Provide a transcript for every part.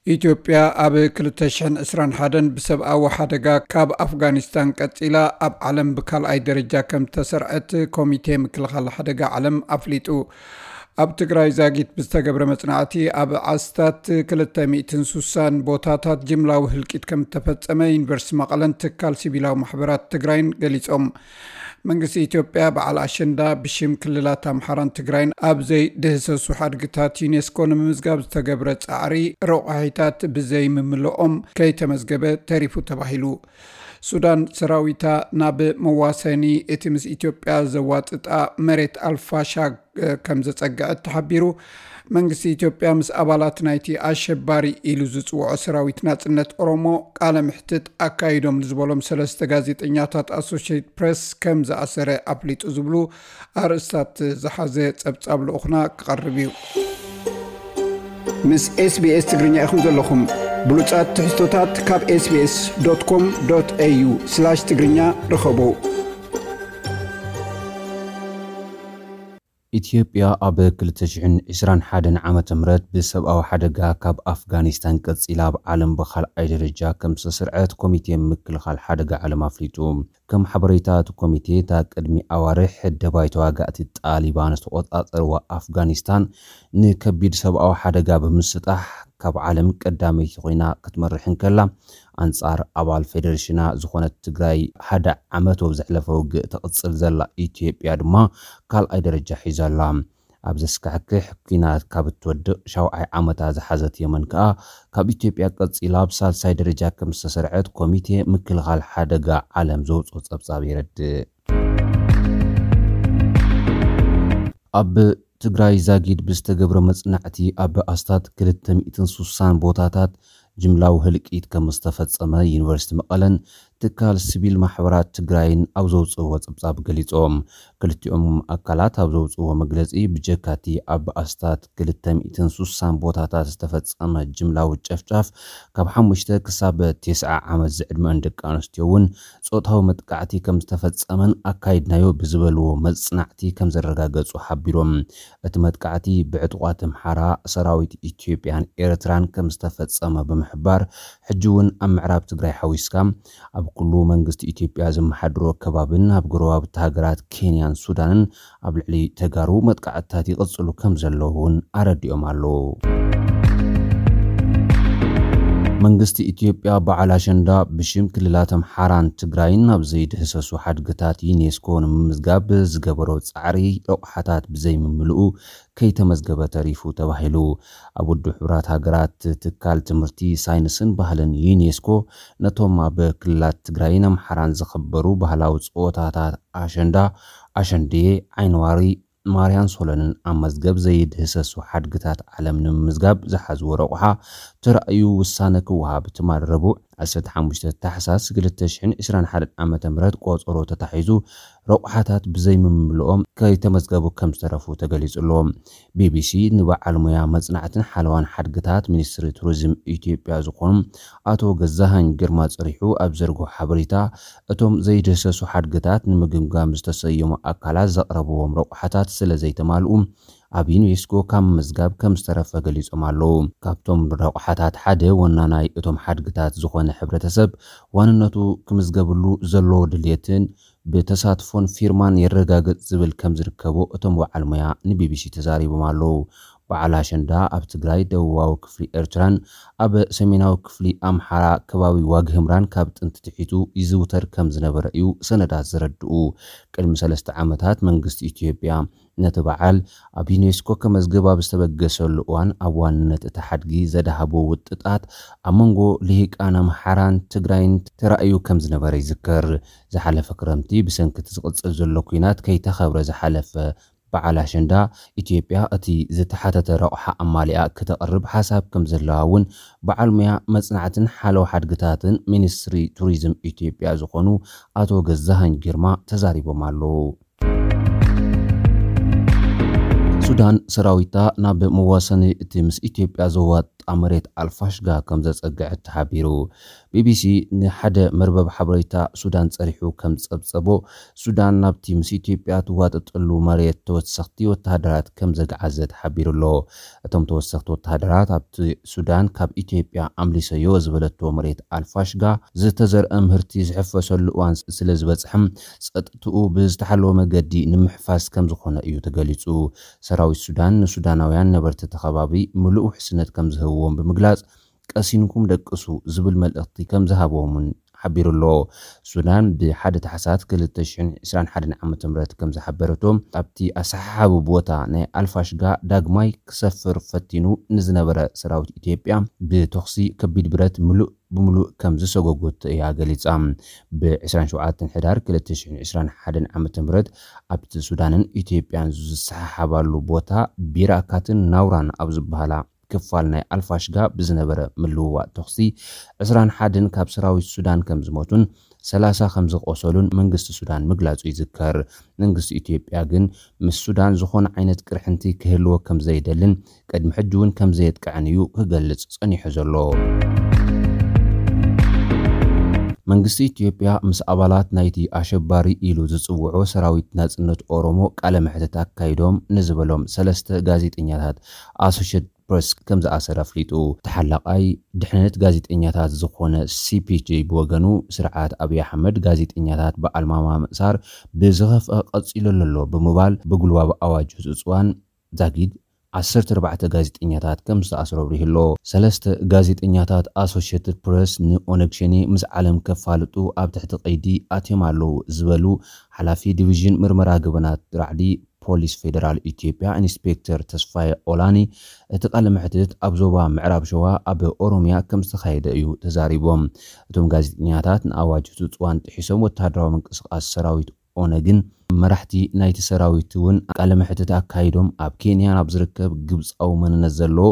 ኢትዮጵያ ኣብ ክልተ ሽሕን ዕስራን ሓደን ብሰብኣዊ ሓደጋ ካብ ኣፍጋኒስታን ቀጺላ ኣብ ዓለም ብካልኣይ ደረጃ ከም ተሰርዐት ኮሚቴ ምክልኻል ሓደጋ ዓለም ኣፍሊጡ። ኣብ ትግራይ ዛጊት ብዝተገብረ መጽናዕቲ ኣብ ኣስታት ክልተ ሚእትን ሱሳን ቦታታት ጅምላዊ ህልቂት ከም እተፈጸመ ዩኒቨርሲቲ መቐለን ትካል ሲቪላዊ ማሕበራት ትግራይን ገሊጾም። መንግስቲ ኢትዮጵያ በዓል ኣሸንዳ ብሽም ክልላት ኣምሓራን ትግራይን ኣብ ዘይድህሰሱ ሓድግታት ዩኔስኮ ንምምዝጋብ ዝተገብረ ጻዕሪ ረቑሒታት ብዘይምምልኦም ከይተመዝገበ ተሪፉ ተባሂሉ። ሱዳን ሰራዊታ ናብ መዋሰኒ እቲ ምስ ኢትዮጵያ ዘዋጥጣ መሬት ኣልፋሻግ ከም ዘጸግዐት ተሓቢሩ። መንግስቲ ኢትዮጵያ ምስ ኣባላት ናይቲ ኣሸባሪ ኢሉ ዝጽውዖ ሰራዊት ናጽነት ኦሮሞ ቃለ ምሕትት ኣካይዶም ንዝበሎም ሰለስተ ጋዜጠኛታት ኣሶሽየትድ ፕሬስ ከም ዝኣሰረ ኣፍሊጡ ዝብሉ ኣርእስታት ዝሓዘ ጸብጻብ ልኡኽና ክቐርብ እዩ። ምስ ኤስቢኤስ ትግርኛ ኢኹም ዘለኹም። ብሉጻት ትሕዝቶታት ካብ ኤስቢኤስ ዶት ኮም ዶት ኤዩ ስላሽ ትግርኛ ርኸቡ። ኢትዮጵያ ኣብ ክልተ ሽሕን ዕስራን ሓደን ዓመተ ምህረት ብሰብኣዊ ሓደጋ ካብ ኣፍጋኒስታን ቀጺላ ኣብ ዓለም ብኻልኣይ ደረጃ ከም ዝተሰርዐት ኮሚቴ ምክልኻል ሓደጋ ዓለም ኣፍሊጡ። ከም ሓበሬታ እቲ ኮሚቴ፣ እታ ቅድሚ ኣዋርሕ ደባይ ተዋጋእቲ ጣሊባን ዝተቖጻጸርዋ ኣፍጋኒስታን ንከቢድ ሰብኣዊ ሓደጋ ብምስጣሕ ካብ ዓለም ቀዳመይቲ ኮይና ክትመርሕ እንከላ፣ ኣንጻር ኣባል ፌደሬሽና ዝኾነት ትግራይ ሓደ ዓመት ኣብ ዘሕለፈ ውግእ ተቕጽል ዘላ ኢትዮጵያ ድማ ካልኣይ ደረጃ ሒዛ ኣላ። ኣብ ዘስካሕክሕ ኲናት ካብ እትወድቕ ሻውዓይ ዓመታ ዝሓዘት የመን ከኣ ካብ ኢትዮጵያ ቀጺላ ኣብ ሳልሳይ ደረጃ ከም ዝተሰርዐት ኮሚቴ ምክልኻል ሓደጋ ዓለም ዘውጽኦ ጸብጻብ የረድእ። ኣብ ትግራይ ዛጊድ ብዝተገብረ መጽናዕቲ ኣብ ኣስታት ክልተ ሚእትን ሱሳን ቦታታት ጅምላዊ ህልቂት ከም ዝተፈጸመ ዩኒቨርሲቲ መቐለን ትካል ሲቪል ማሕበራት ትግራይን ኣብ ዘውፅእዎ ጸብጻብ ገሊጾም። ክልቲኦም ኣካላት ኣብ ዘውፅእዎ መግለጺ፣ ብጀካቲ ኣብ ኣስታት ክልተ ሚእትን ሱሳን ቦታታት ዝተፈጸመ ጅምላዊ ጨፍጫፍ፣ ካብ ሓሙሽተ ክሳብ ተስዓ ዓመት ዝዕድመን ደቂ ኣንስትዮ እውን ጾታዊ መጥቃዕቲ ከም ዝተፈጸመን ኣካይድናዮ ብዝበልዎ መጽናዕቲ ከም ዘረጋገጹ ሓቢሮም። እቲ መጥቃዕቲ ብዕጡቓት ኣምሓራ፣ ሰራዊት ኢትዮጵያን ኤርትራን ከም ዝተፈጸመ ብምሕባር፣ ሕጂ እውን ኣብ ምዕራብ ትግራይ ሓዊስካ ኣብ ኩሉ መንግስቲ ኢትዮጵያ ዘመሓድሮ ከባብን ኣብ ጎረባብቲ ሃገራት ኬንያን ሱዳንን ኣብ ልዕሊ ተጋሩ መጥቃዕትታት ይቕጽሉ ከም ዘለዉ እውን ኣረዲኦም ኣለዉ። መንግስቲ ኢትዮጵያ በዓል ኣሸንዳ ብሽም ክልላት ኣምሓራን ትግራይን ኣብ ዘይድህሰሱ ሓድግታት ዩኔስኮ ንምምዝጋብ ዝገበሮ ጻዕሪ ረቑሓታት ብዘይምምልኡ ከይተመዝገበ ተሪፉ ተባሂሉ። ኣብ ውድብ ሕቡራት ሃገራት ትካል ትምህርቲ፣ ሳይንስን ባህልን ዩኔስኮ ነቶም ኣብ ክልላት ትግራይን ኣምሓራን ዝኽበሩ ባህላዊ ጸወታታት ኣሸንዳ፣ ኣሸንድየ፣ ዓይኒዋሪ፣ ማርያን ሶለንን ኣብ መዝገብ ዘይድህሰሱ ሓድግታት ዓለም ንምምዝጋብ ዝሓዝዎ ረቑሓ ተራእዩ ውሳነ ክወሃብ ትማል ረቡዕ ዓሰርተ ሓሙሽተ ታሕሳስ ክልተ ሽሕን ዕስራን ሓደን ዓመተ ምህረት ቆጸሮ ተታሒዙ ረቑሓታት ብዘይምምልኦም ከይተመዝገቡ ከም ዝተረፉ ተገሊጹ ኣሎ። ቢቢሲ ንበዓል ሞያ መጽናዕትን ሓለዋን ሓድግታት ሚኒስትሪ ቱሪዝም ኢትዮጵያ ዝኾኑ ኣቶ ገዛሃኝ ግርማ ጸሪሑ ኣብ ዘርግሖ ሓበሬታ፣ እቶም ዘይድህሰሱ ሓድግታት ንምግምጋም ዝተሰየሙ ኣካላት ዘቕረብዎም ረቑሓታት ስለ ዘይተማልኡ፣ ኣብ ዩኔስኮ ካብ ምምዝጋብ ከም ዝተረፈ ገሊጾም ኣለዉ። ካብቶም ረቑሓታት ሓደ፣ ወናናይ እቶም ሓድግታት ዝኾነ ሕብረተሰብ ዋንነቱ ክምዝገብሉ ዘለዎ ድልየትን ብተሳትፎን ፊርማን የረጋግጽ ዝብል ከም ዝርከቦ እቶም በዓል ሞያ ንቢቢሲ ተዛሪቦም ኣለዉ። በዓል ኣሸንዳ ኣብ ትግራይ፣ ደቡባዊ ክፍሊ ኤርትራን ኣብ ሰሜናዊ ክፍሊ ኣምሓራ ከባቢ ዋግህምራን ካብ ጥንቲ ትሒቱ ይዝውተር ከም ዝነበረ እዩ ሰነዳት ዘረድኡ። ቅድሚ ሰለስተ ዓመታት መንግስቲ ኢትዮጵያ ነቲ በዓል ኣብ ዩኔስኮ ከመዝግብ ኣብ ዝተበገሰሉ እዋን፣ ኣብ ዋንነት እቲ ሓድጊ ዘድሃቡ ውጥጣት ኣብ መንጎ ልሂቃን ኣምሓራን ትግራይን ተራእዩ ከም ዝነበረ ይዝከር። ዝሓለፈ ክረምቲ ብሰንኪ እቲ ዝቕጽል ዘሎ ኲናት ከይተኸብረ ዝሓለፈ በዓል ኣሸንዳ፣ ኢትዮጵያ እቲ ዝተሓተተ ረቑሓ ኣማሊኣ ክተቕርብ ሓሳብ ከም ዘለዋ እውን በዓል ሙያ መጽናዕትን ሓለዋ ሓድግታትን ሚኒስትሪ ቱሪዝም ኢትዮጵያ ዝኾኑ ኣቶ ገዛሃኝ ግርማ ተዛሪቦም ኣለዉ። ሱዳን ሰራዊታ ናብ መዋሰኒ እቲ ምስ ኢትዮጵያ ዘዋጥ ዝወጣ መሬት ኣልፋሽጋ ከም ዘጸግዐት ተሓቢሩ። ቢቢሲ ንሓደ መርበብ ሓበሬታ ሱዳን ጸሪሑ ከም ዝጸብጸቦ፣ ሱዳን ናብቲ ምስ ኢትዮጵያ ትዋጠጠሉ መሬት ተወሰኽቲ ወተሃደራት ከም ዘግዓዘ ተሓቢሩ ኣሎ። እቶም ተወሰኽቲ ወተሃደራት ኣብቲ ሱዳን ካብ ኢትዮጵያ ኣምሊሰዮ ዝበለቶ መሬት ኣልፋሽጋ ዝተዘርአ ምህርቲ ዝሕፈሰሉ እዋን ስለ ዝበጽሐም ጸጥትኡ ብዝተሓለወ መገዲ ንምሕፋስ ከም ዝኾነ እዩ ተገሊጹ። ሰራዊት ሱዳን ንሱዳናውያን ነበርቲ እቲ ከባቢ ምሉእ ውሕስነት ከም ዝህብዎም ብምግላጽ ቀሲንኩም ደቅሱ ዝብል መልእኽቲ ከም ዝሃብዎም እውን ሓቢሩ ኣሎ። ሱዳን ብ1 ታሕሳስ ክልተ ሽሕን ዕስራን ሓደን ዓመተ ምህረት ከም ዝሓበረቶ፣ ኣብቲ ኣሰሓሓቢ ቦታ ናይ ኣልፋሽጋ ዳግማይ ክሰፍር ፈቲኑ ንዝነበረ ሰራዊት ኢትዮጵያ ብተኹሲ ከቢድ ብረት ምሉእ ብምሉእ ከም ዝሰጎጎት እያ ገሊጻ። ብ27 ሕዳር ክልተ ሽሕን ዕስራን ሓደን ዓመተ ምህረት ኣብቲ ሱዳንን ኢትዮጵያን ዝሰሓሓባሉ ቦታ ቢራካትን ናውራን ኣብ ዝበሃላ ክፋል ናይ ኣልፋሽጋ ብዝነበረ ምልውዋጥ ተኹሲ ዕስራን ሓደን ካብ ሰራዊት ሱዳን ከም ዝሞቱን ሰላሳ ከም ዝቆሰሉን መንግስቲ ሱዳን ምግላጹ ይዝከር። መንግስቲ ኢትዮጵያ ግን ምስ ሱዳን ዝኾነ ዓይነት ቅርሕንቲ ክህልዎ ከም ዘይደልን ቅድሚ ሕጂ እውን ከም ዘየጥቅዐን እዩ ክገልጽ ጸኒሑ ዘሎ። መንግስቲ ኢትዮጵያ ምስ ኣባላት ናይቲ ኣሸባሪ ኢሉ ዝጽውዖ ሰራዊት ናጽነት ኦሮሞ ቃለ መሕትት ኣካይዶም ንዝበሎም ሰለስተ ጋዜጠኛታት ኣሶሼትድ ፕረስ ከም ዝኣሰረ ኣፍሊጡ። ተሓላቓይ ድሕነት ጋዜጠኛታት ዝኾነ ሲፒጂ ብወገኑ፣ ስርዓት ኣብይ ኣሕመድ ጋዜጠኛታት ብኣልማማ ምእሳር ብዝኸፍአ ቀጺሉ ኣሎ ብምባል፣ ብጉልባብ ኣዋጅ ህጹጽዋን ዛጊድ ዓሰርተ ኣርባዕተ ጋዜጠኛታት ከም ዝተኣስሩ ኣብሪሁ ኣሎ። ሰለስተ ጋዜጠኛታት ኣሶሼትድ ፕረስ ንኦነግ ሸኔ ምስ ዓለም ከፋልጡ ኣብ ትሕቲ ቀይዲ ኣትዮም ኣለዉ ዝበሉ ሓላፊ ዲቪዥን ምርመራ ገበናት ራዕዲ ፖሊስ ፌደራል ኢትዮጵያ ኢንስፔክተር ተስፋዬ ኦላኒ፣ እቲ ቃለ መሕትት ኣብ ዞባ ምዕራብ ሸዋ ኣብ ኦሮሚያ ከም ዝተኻየደ እዩ ተዛሪቦም። እቶም ጋዜጠኛታት ንኣዋጅ ህጹጽዋን ጥሒሶም ወተሃደራዊ ምንቅስቓስ ሰራዊት ኦነግን መራሕቲ ናይቲ ሰራዊት እውን ቃለ መሕትት ኣካይዶም፣ ኣብ ኬንያ ናብ ዝርከብ ግብጻዊ መንነት ዘለዎ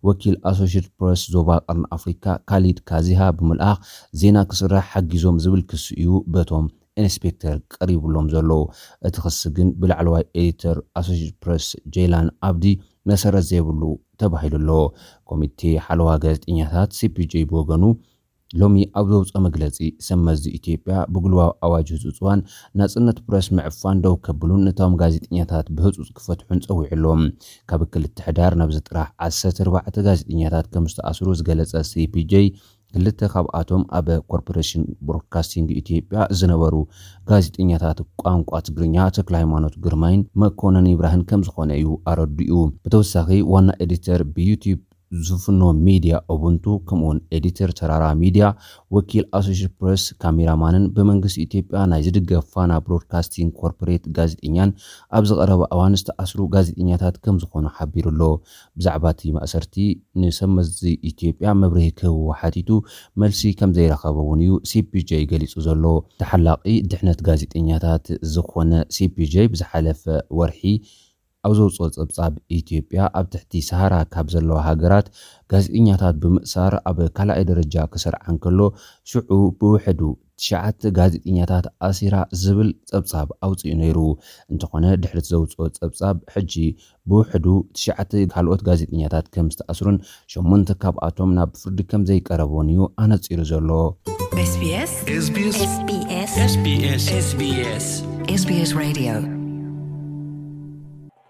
ወኪል ኣሶሼትድ ፕረስ ዞባ ቀርኒ ኣፍሪካ ካሊድ ካዚሃ ብምልኣኽ ዜና ክስራሕ ሓጊዞም ዝብል ክሲ እዩ በቶም ኢንስፔክተር ቀሪቡሎም ዘሎ። እቲ ክሲ ግን ብላዕለዋይ ኤዲተር ኣሶሼትድ ፕረስ ጄይላን ኣብዲ መሰረት ዘይብሉ ተባሂሉ ኣሎ። ኮሚቴ ሓለዋ ጋዜጠኛታት ሲፒጂ ብወገኑ ሎሚ ኣብ ዘውፅኦ መግለፂ፣ ሰብ መዚ ኢትዮጵያ ብጉልባብ ኣዋጅ ህፁፅዋን ናፅነት ፕረስ ምዕፋን ደው ከብሉን ነቶም ጋዜጠኛታት ብህፁፅ ክፈትሑን ፀዊዑ ኣሎ። ካብ ክልተ ሕዳር ናብዚ ጥራሕ ዓሰርተ ኣርባዕተ ጋዜጠኛታት ከም ዝተኣስሩ ዝገለፀ ሲፒጂ፣ ክልተ ካብኣቶም ኣብ ኮርፖሬሽን ብሮድካስቲንግ ኢትዮጵያ ዝነበሩ ጋዜጠኛታት ቋንቋ ትግርኛ ተክለ ሃይማኖት ግርማይን መኮነን ይብራህን ከም ዝኾነ እዩ ኣረዲኡ። ብተወሳኺ ዋና ኤዲተር ብዩቲዩብ ዝፍኖ ሚድያ ኡቡንቱ፣ ከምኡውን ኤዲተር ተራራ ሚድያ፣ ወኪል ኣሶሼትድ ፕረስ፣ ካሜራማንን ብመንግስቲ ኢትዮጵያ ናይ ዝድገፍ ፋና ብሮድካስቲንግ ኮርፖሬት ጋዜጠኛን ኣብ ዝቐረበ እዋን ዝተኣስሩ ጋዜጠኛታት ከም ዝኾኑ ሓቢሩ ኣሎ። ብዛዕባ እቲ ማእሰርቲ ንሰብ መዚ ኢትዮጵያ መብርሂ ክህብዎ ሓቲቱ መልሲ ከም ዘይረኸበ እውን እዩ ሲፒጂ ገሊጹ ዘሎ። ተሓላቒ ድሕነት ጋዜጠኛታት ዝኾነ ሲፒጂ ብዝሓለፈ ወርሒ ኣብ ዘውፅኦ ጸብጻብ፣ ኢትዮጵያ ኣብ ትሕቲ ሰሃራ ካብ ዘለዋ ሃገራት ጋዜጠኛታት ብምእሳር ኣብ ካልኣይ ደረጃ ክሰርዓ እንከሎ፣ ሽዑ ብውሕዱ ትሽዓተ ጋዜጠኛታት ኣሲራ ዝብል ጸብጻብ ኣውጺኡ ነይሩ። እንተኾነ፣ ድሕሪ እቲ ዘውፅኦ ጸብጻብ፣ ሕጂ ብውሕዱ ትሽዓተ ካልኦት ጋዜጠኛታት ከም ዝተኣስሩን ሸሞንተ ካብኣቶም ናብ ፍርዲ ከም ዘይቀረቡን እዩ ኣነጺሩ ዘሎ። SBS SBS SBS SBS SBS Radio